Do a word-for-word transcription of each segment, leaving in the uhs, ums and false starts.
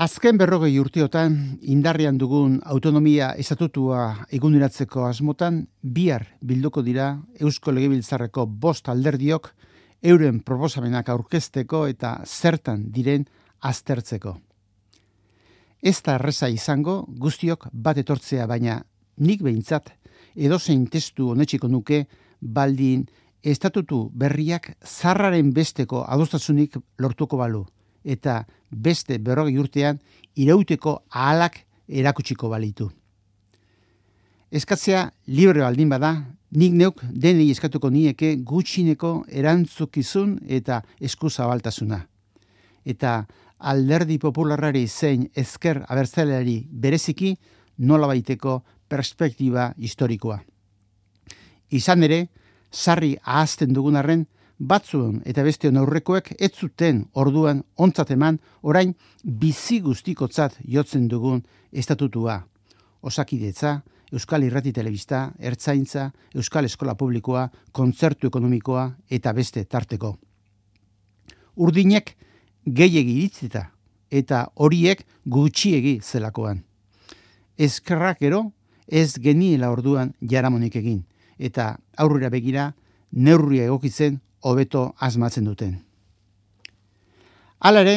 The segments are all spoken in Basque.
Azken berrogei urteotan indarrean dugun autonomia estatutua eguneratzeko asmotan bihar bilduko dira Eusko Legebiltzarreko bost alderdiok euren proposamenak aurkezteko eta zertan diren aztertzeko. Ez da erreza izango guztiok bat etortzea, baina nik behintzat edozein testu onetsiko nuke baldin estatutu berriak zarraren besteko adostasunik lortuko balu, eta beste berrogei urtean irauteko ahalak erakutsiko balitu. Eskatzea libre baldin bada, nik neuk denei eskatuko nieke gutxineko erantzukizun eta eskuzabaltasuna. Eta alderdi popularrari zein ezker abertzaleari bereziki nolabaiteko perspektiba historikoa. Izan ere, sarri ahazten dugun arren, batzuen eta besteon aurrekoek ez zuten orduan ontzat eman orain bizi guztikotzat jotzen dugun estatutua. Osakidetza, Euskal Irrati Telebista, Ertzaintza, Euskal Eskola Publikoa, Kontzertu Ekonomikoa eta beste tarteko. Urdinek gehiegi iritzita eta horiek gutxiegi zelakoan. Ezkerrak gero ez geniela orduan jaramonik egin eta aurrera begira neurria egokitzen hobeto asmatzen duten. Hala ere,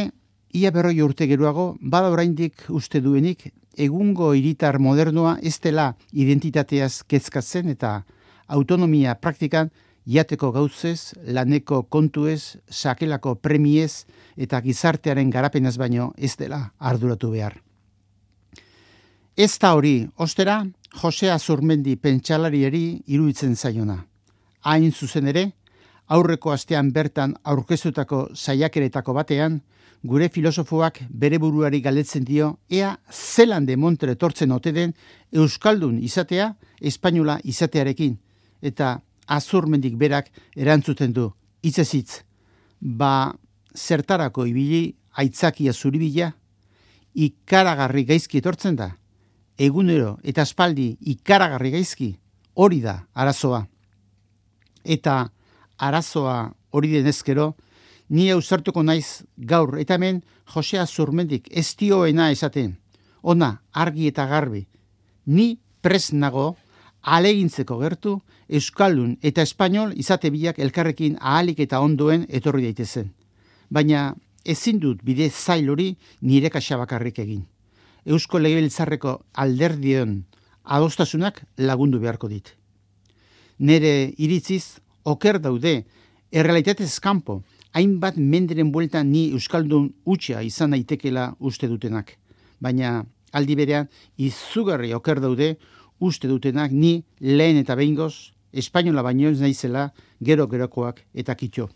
ia berroi urte geroago, bada oraindik uste duenik egungo hiritar modernoa ez dela identitateaz kezkatzen eta autonomia praktikan jateko gauzez, laneko kontuez, sakelako premiez eta gizartearen garapenaz baino ez dela arduratu behar. Ez da hori, ostera, Jose Azurmendi pentsalariari iruditzen zaiona. Hain zuzen ere, aurreko astean bertan aurkeztutako saiakeretako batean, gure filosofoak bere buruari galdetzen dio ea zelan de montre etortzen ote den euskaldun izatea espainola izatearekin, eta Azurmendik berak erantzuten du, hitzez hitz, ba zertarako ibili aitzakia zuribila, ikaragarri gaizki etortzen da, egunero eta aspaldi ikaragarri gaizki, hori da arazoa. Eta arazoa hori denezkero, ni ausartuko naiz gaur eta hemen Jose Azurmendik ez dioena esaten. Ona, argi eta garbi, ni prest nago ahalegintzeko gertu euskaldun eta espainol izate biak elkarrekin ahalik eta ondoen etorri daitezen. Baina ezin dut bide zail hori nire kaxa bakarrik egin. Eusko Legebiltzarreko alderdion adostasunak lagundu beharko dit. Nere iritziz, oker daude, errealitatez kanpo, hainbat menderen bueltan ni euskaldun utxa izan daitekela uste dutenak. Baina aldi berean, izugarri oker daude uste dutenak ni lehen eta behingoz, espainola baino ez naizela gero-gerokoak eta kitxo.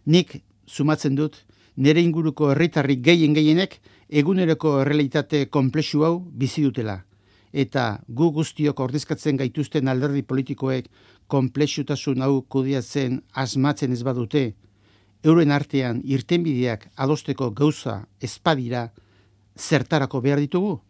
Nik sumatzen dut, nere inguruko herritarrik gehien gehienek eguneroko errealitate konplexu hau bizi dutela. Eta gu guztiok ordezkatzen gaituzten alderdi politikoek konplexutasun hau kudeatzen asmatzen ez badute, euren artean irtenbideak adosteko gauza ezpadira zertarako behar ditugu?